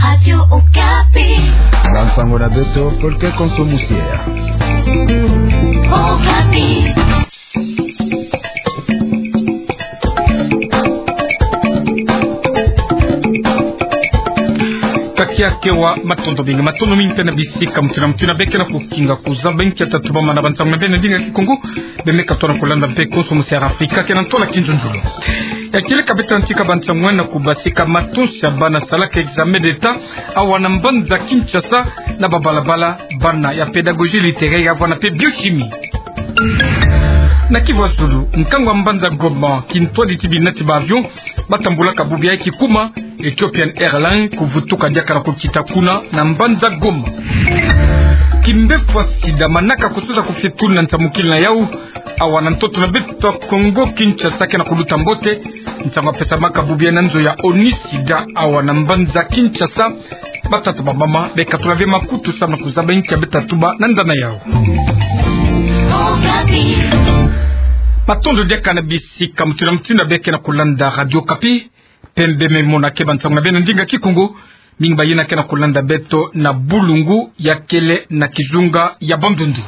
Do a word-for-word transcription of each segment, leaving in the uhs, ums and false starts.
Radio Okapi. Bansango na beto, Folke Konso Musiera. Okapi. Kakia kewa matondo mingi, matondo mingi mpe na bisika mutu na mutu na beke na kukinga kuzaba nkia tatu bamana bansango na beno na ndinga Kikongo, beno me katoa na kulanda mpe Konso Musiera Afrika, kena ntola kinzonzolo. Ya kieleka beto na ntika bansango na kubasika matonsi ya bana salaka examen d'État awa na mbanza Kinshasa, na babalabala, bana ya pédagogie littéraire ya vwanda mpe biochimie. Na Kivu ya zulu, nkangu ya mbanza Goma, kintwadi ti bina ti ba avion batambulaka bubu yayi kikuma, Ethiopian Airlines, kuvutuka diaka na kukita kuna na mbanza Goma. Kimbefwa sida, manaka kusosa kufia tulu na nsamukila na yawu awa na ntoto na beto Kongo Kinshasa, kena kuluta mbote. Nsangu yapesamaka bubu yayi na nzo ya ONU sida awa na mbanza Kinshasa. Batata, bamama, bekatula ve makutu samu na kuzaba nkia beta tuba na ndana yawu. Matondo diaka na bisika mutu na mutu na beke na kulanda Radio Okapi. Pembe me mona ke bansango na beno na ndinga Kikongo. Mingi bayina ke na kulanda beto na bulungu ya kele na kizunga ya Bandundu.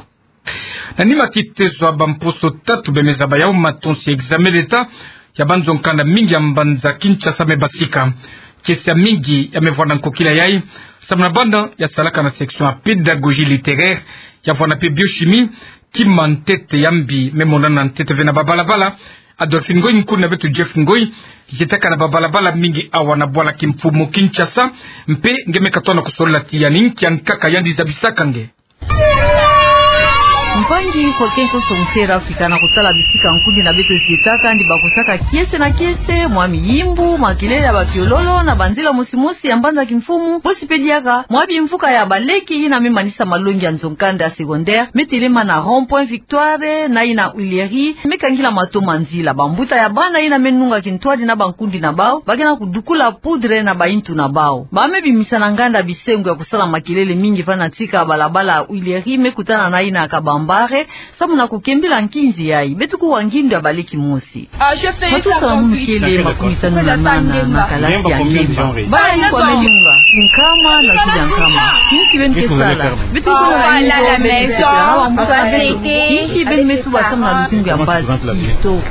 Na nima kitezo ya bamposo tatu beno me zaba yawu, matonsi ya examen d'État ya banzo nkanda mingi ya mbanza Kinshasa me basika. Kiese ya mingi ya me vwanda nkokila yayi samu na bana ya salaka na section ya pédagogie littéraire ya vwanda mpe biochimie. Kima ntete ya mbi me monana ntete ve na babalabala. Adolphine Ngoyi, nkundi na beto Jeff Ngoyi, zietaka na babalabala mingi awa na bwala kimfumu Kinshasa, mpe nge me katoa na kusolola ti yandi, nkia nkaka yandi zabisaka nge. Mpangi Folke Konso Musiera Afrika, na kutala bisika nkundi na beto zietaka, yandi bakosaka kiese na kiese, mwa miyimbu, makelele ya bakiololo na banzila mosimosi ya mbanza kimfumu, bosi mpe diaka mwa bimvuka ya baleki yina me manisa malongi ya nzo nkanda ya secondaire, me telema na rond-point Victoire na yina Huileries, me kangila mato ma nzila. Bambuta ya bana yina me nunga kintwadi na bankundi na bawu, bakena kudukula poudre na bayintu na bawu. Ba me bimisa na nganda bisengo ya kusala makelele mingi va na tika balabala Huileries me kutana na yina Kabambare, samu na kukembila nkinzi yayi. Beto kuwa ngindu ya baleki mosi. Matuta munu kele makumi tanu na nana na kalasi ya ngemba. Bana yinki ba me nunga? Nkama na zulu ya nkama. Yinki beno ke sala? Beto ke mona yinki beno ke sala? Yinki beno me tuba samu na luzungu ya mpasi? Kitoko.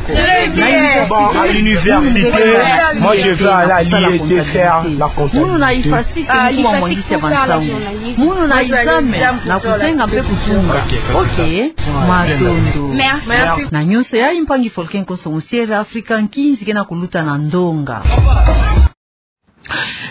Bon, à l'université, moi, je veux aller à l'IET faire la comptabilité. Munu na IFASTI ke kuma mwangisi ya bansangu. Munu na examen na kuzenga mpe kutunga. Ok, matondo. Merci. Na nyonso yayi, mpangi Folke Konso Musiera Afrika, nkinzi kena kuluta na ndonga.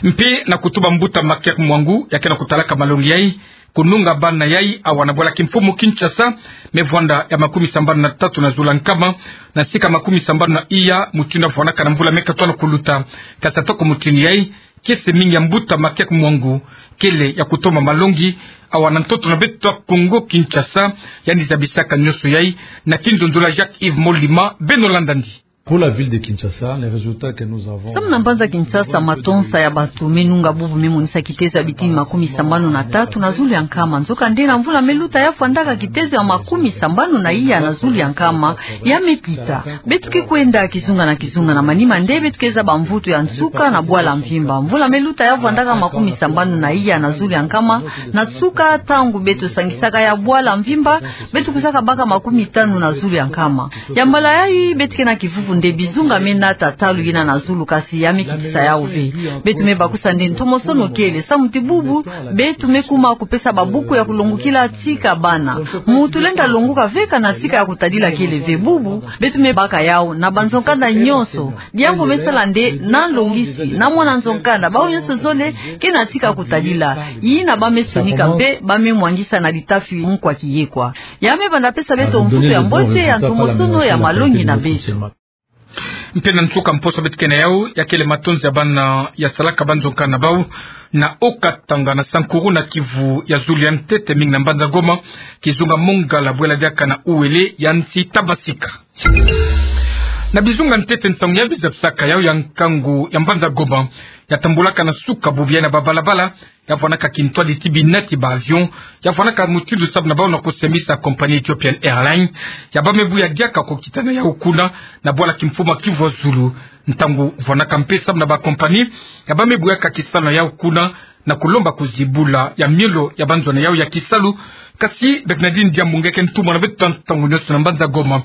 Mpe na kutuba mbuta Makiak Mwangu, ya kena kutalaka malongi yayi, kununga bana yayi awa na bwala kimfumu Kinshasa, me vwanda ya makumi sambanu na tatu na zulu ya nkama, na sika makumi sambanu na iya mutindu ya vwandaka na mvula me katoa na kuluta. Kasi atako mutindu yayi, kiese mingi ya mbuta Makiak Mwangu kele ya kutoma malongi awa na ntoto na beto Kongo Kinshasa. Yandi zabisaka nyonso yayi na kinzonzolo ya Jacques Yves Molima. Beno landa yandi. Pour la ville de Kinshasa, les résultats que nous avons... Samu na mbanza Kinshasa, matonsa ya bato me nunga bubu me monisa kitezo ya bitini makumi sambanu na tatu na zulu ya nkama. Nzokande, na mvula me luta, ya vwandaka kitezo ya makumi sambanu na iya na zulu ya nkama, ya me kita. Beto ke kwenda kizunga na kizunga. Na manima nde beto ke zaba mvutu ya nsuka na bwala mvimba. Mvula me luta, ya vwandaka makumi sambanu na iya na zulu ya nkama na nsuka, ntangu beto sangisaka ya bwala mvimba, beto kwisaka baka makumi tanu na zulu ya nkama. Ya mbala yayi, beto ke na kivuvu nde bizunga me nata talu yina na zulu, kasi ya me kitisa yawu ve. Beto me bakusa nde ntomosono kele, samu ti bubu beto me kuma kupesa babuku ya kulongokila tika bana. Muntu lenda longoka ve kana tika ya kutadila kele ve. Bubu beto me baka yawu na banzo nkanda nyonso. Diambu me sala nde na longisi na mwana nzo nkanda, bawu nyonso zole ke na tika ya kutadila. Yina ba me sonika mpe ba me mwangisa na litafi mukwa kiyekwa. Ya me banda pesa beto mvutu ya mbote ya ntomosono ya malongi na beto. Mpe na nsuka mposo beto ke na yawu, ya kele matonsi ya bana ya salaka banzo nkanda na bawu na Haut-Katanga, na Sankuru, na Kivu ya zulu ya ntete, mingi na mbanza Goma, kizunga Mongala, bwela diaka na Uele ya nsi Tabasika. Na bizunga ntete, nsangu ya biza bisaka yawu ya nkangu ya mbanza Goma ya tambulaka na suka bubu yayi na babalabala, ya vwandaka kintwadi ti bina ti ba avion, ya vwandaka mutindu samu na bawu na kusembisa compagnie Ethiopian Airlines, ya ba me buya diaka kukita na yawu kuna na bwala kimfumu Kivu ya zulu. Ntangu vwandaka mpe samu na ba compagnie ya ba me buyaka kisalu na yawu kuna, na kulomba kuzibula ya miolo ya banzona yau ya kisalu. Kasi Bernardine Diambu nge ke ntumwa na beto ntangu nioso na mbanza Goma.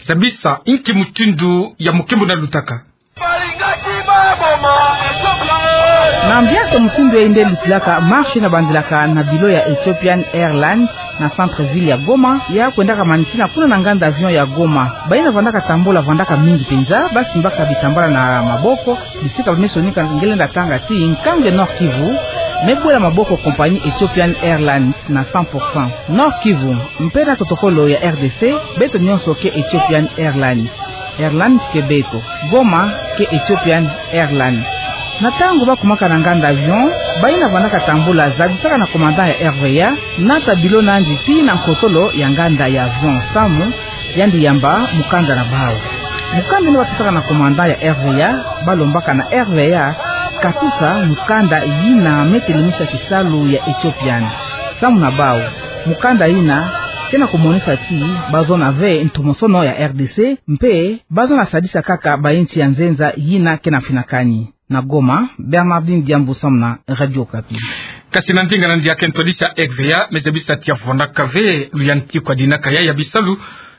Zabisa inki mutindu ya mukimbu nalutaka. Na mbiato mutindu yai nde lutilaka marche nabandilaka na bilo ya Ethiopian Airlines na centre-ville ya Goma, ya kwendaka manisina kuna na nganda avion ya Goma. Bayina vandaka tambola vandaka mingi mpenza, basimbaka bitambala na maboko, bisika bamesonika. Nge lenda tanga ti nkangu ya Nord-Kivu me bwela maboko compagnie Ethiopian Airlines na cent pour cent. Nord-Kivu, mpe na totokolo ya R D C, beto nionso ke Ethiopian Airlines. Airlines ke beto. Goma ke Ethiopian Airlines. Na ntangu bakumaka na nganda avion, bayina vandaka tambola zabisaka na commandant ya R V A nata bilo nandi tii na nkotolo ya nganda ya avion samu yandi yamba mukanda na bau. Mukanda yina bapesaka na commandant ya R V A, balombaka na R V A katusa mukanda yina me telemisa kisalu ya Ethiopian. Samu na bau, mukanda yina ke na kumonisa ti bazona ve ntomosono ya R D C, mpe bazona sadisa kaka bayinsi ya nzenza yina ke na finakani. Na Goma, Bernardine Diambu samu na Radio Okapi. Kasi na ndinga na ndiakento disa R V A, me zabisa ti avwandaka ve luyantiku ya dinaka ya, ya bisalu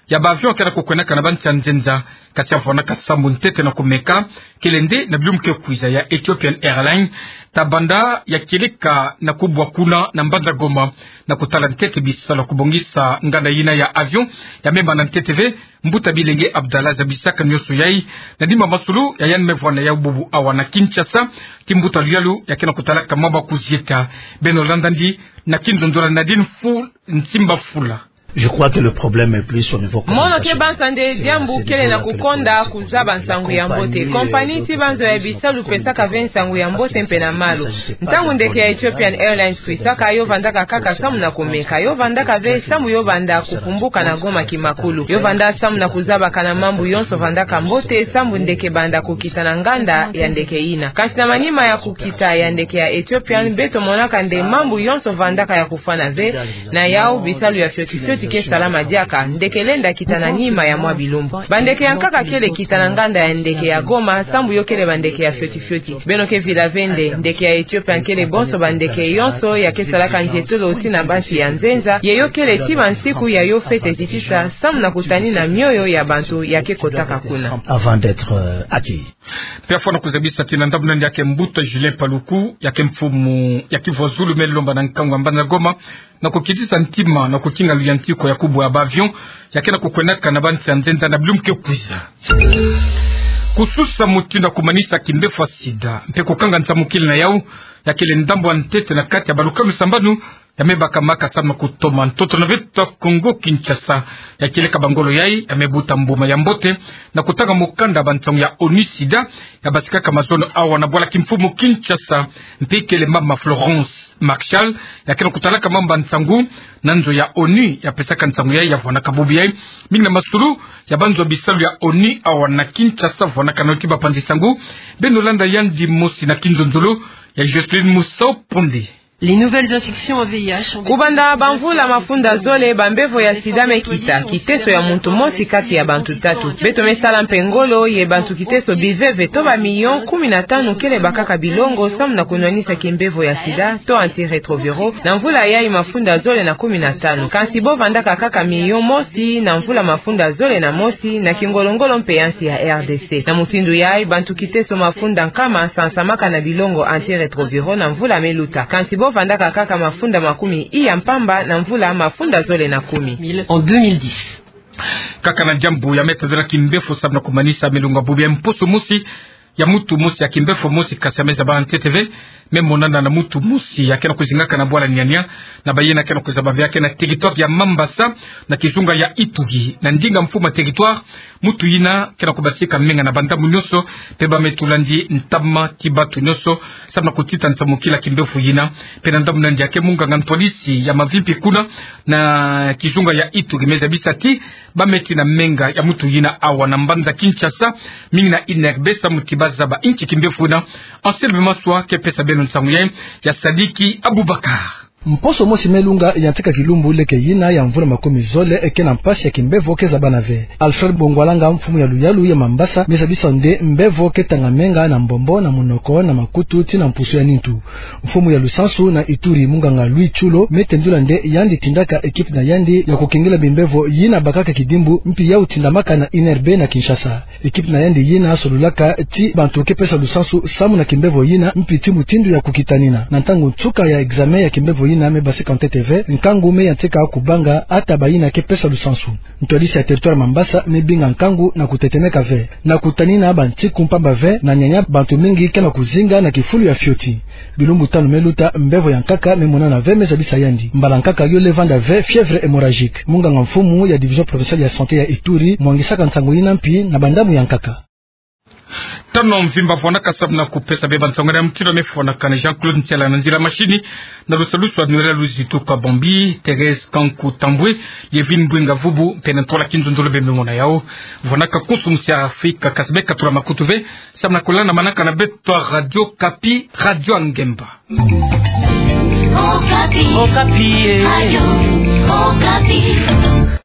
ya ba avion ke na kukwendaka na bansi ya nzenza, kasi avwandaka sambu ntete na kumeka, kele nde na bilumbu ke kwiza ya Ethiopian Airlines, tabanda ya kieleka na kubwa kuna na mbanza Goma, na kutala ntete bisalu ya kubongisa nganda yina ya avion, ya mema na ntete ve, mbuta bilenge Abdallah zabisaka nioso yai, na dima masulu ya yandi me vwanda yau bubu awa na Kinshasa, ti mbuta luyalu ya ke na kutalaka maba kuzieta. Beno landandi na kinzonzo na Nadine Fu-, Nsimba Fula. Je crois que le problème est plus au niveau communautaire. Mono ke banza nde diambu kele na kukonda kuzaba nsangu ya mbote. Compagnie ti banzo ya bisalu pesaka ve nsangu ya mbote mpe na malu. Ntangu ndeke ya Ethiopian Airlines kwisaka, yo vandaka kaka samu na kumeka. Yo vandaka ve samu yo banda kukumbuka na Goma kimakulu. Yo vanda samu na kuzabaka na mambu yonso vandaka mbote, samu ndeke banda kukita na nganda ya ndeke yina. Kasi na manima ya kukita ya ndeke ya Ethiopian, beto monaka nde mambu yonso vandaka ya kufwana ve, na yau bisalu ya fioti fioti ke salama diaka, ndeke lenda kita na nima ya mwa bilumbu. Bandeke ya nkaka kele kita na nganda ya ndeke ya Goma, sambu yo kele bandeke ya fioti fioti. Beno ke vila ve nde, ndeke ya Ethiopian kele bonso bandeke yonso ya ke salaka nzietolo tii na bansi ya nzenza, ye yo kele ti bansiku ya yo fete zitisa, samu na kutanina mioyo ya bantu ya ke kotaka kuna. Avant d'être, euh, accueillis. Mpe afwana kuzabisa ti na ndambu na nde ya ke mbuta Julien Paluku, ya ke mfumu ya kivwazulu me lomba na nkangu ya mbanza Goma, na kukitisa ntima, na kukinga luyantiku ya kubwa ya ba avion ya ke na kukwendaka na bansi ya nzenza na bilumbu ke kwiza. Kususa mutindu ya kumanisa kimbefo ya sida, mpe kukanga nsamukila na yau, ya kele ndambu ya ntete na kati ya balukanu sambanu, ya me baka maka samu na kutoma ntoto na beto ya Kongo Kinshasa. Ya kieleka bangolo yai, ya me buta mbuma ya mbote na kutanga mukanda bansangu ya ONU SIDA, ya basikaka mazono awa na bwala kimfumu Kinshasa, mpe kele mama Florence Marchal, ya ke na kutalaka mambu ya nsangu na nzo ya ONU, ya pesaka nsangu yai, ya vwanaka bubu yai mingi na masulu ya banzo ya bisalu ya ONU awa na Kinshasa, vwanaka na yo ti bapanzi nsangu. Beno landa yandi mosi na kinzonzolo ya Jocelyne Musau Ponde. Les nouvelles infections au V I H ont... Kubanda bamvula mafunda zole, bambevo ya sida me kita, kiteso ya muntu mosi kati ya bantu tatu. Beto me sala mpe ngolo, ye bantu kiteso biveve to ba millions kumi na tanu kele bakaka bilongo samu na kunwanisa kimbevo ya sida, to antirétroviraux, na mvula yai mafunda zole na kumi na tanu. Kansi bo vandaka kaka million mosi na mvula mafunda zole na mosi, na kingolo-ngolo mpe ya nsi ya R D C. Na mutindu yai, bantu kiteso mafunda nkama sansamaka na bilongo antirétroviraux na mvula me luta. Kansi bo vandaka kaka mafunda makumi iya mpamba na mvula mafunda zole na kumi. En deux mille dix. Kaka na diambu ya me tazela kimbefo samu na kumanisa milonga bubu ya mposo mosi, ya mutu mosi, ya kimbefo mosi, kasi ya me zaba ntete ve, me monana na mutu mosi ya ke na kuzingaka na bwala Niania, na bayina ke na kuzaba ve ya ke na territoire ya Mambasa, na kizunga ya Ituri. Na ndinga mfumu ya territoire, mutu yina ke na kubasika menga na bandambu nyonso, mpe ba me tulandi ntama ti batu nyonso samu na kutita nsamukila kimbefo yina. Mpe na ndambu na yandi ya ke munganga ntwadisi ya mavimpi kuna na kizunga ya Ituri me zabisa ti ba me tina menga ya mutu yina awa na mbanza Kinshasa, mingi na I N R B samu ti ba zaba inki kimbefo yina. Anselme Maswa ke pesa beno nsangu yai, ya Sadiki Abubakar. Mposo mosi me lunga ya ntika kilumbu leke yina ya mvula makumizole, eke na mpasi ya kimbevo ke zabana ve. Alfred Bongwalanga, mfumu ya luyalu ya Mambasa, me zabisa nde mbevo ke tangamenga na mbombo, na munoko, na makutu, tii na mpusu ya nintu. Mfumu ya Lusansu na Ituri, munganga Louis Tshulo, me tendula nde yandi tindaka ekipe na yandi ya kukengela bimbevo yina bakaka kidimbu, mpi yau tindamaka na I N R B na Kinshasa. Ekipe na yandi yina solulaka ti bantu ke pesa lusansu samu na kimbevo yina, mpi ti mutindu ya kukitanina. Na ntangu nsuka ya examen ya kimbevo yina me basika ntete ve, nkangu me ya ntika kubanga ata bayina ke pesa lusansu. Ntwadisi ya territoire Mambasa me binga nkangu na kutetemeka ve, na kutanina bantiku mpamba ve, na nyanya bantu mingi ke na kuzinga na kifulu ya fioti. Bilumbu tanu me luta, mbevo ya nkaka me monana ve, me zabisa yandi. Mbala nkaka yo le vanda ve fièvre hémorragique. Munganga mfumu ya division provinciale ya santé ya Ituri mwangisaka nsangu yina mpi na bandamu ya nkaka. Tano mvimba vwanaka samu na kupesa bie bansongole ya mtindo me fwanaka na Jean-Claude Ntiala na nzila mashini, na lusalusu Annuaire Luzitu Kabambi, Thérèse Kanku Tambwe, Liévine Mbwenga Vubu, mpe na ntwala Kinzonzolo Bembe mona yao. Vwanaka kusu musi ya Afrika kasi beka tula makutu ve, samu na kulana manaka na beto ya Radio Okapi, Radio ya Ngemba. Okapi. Okapi, eh. Radio.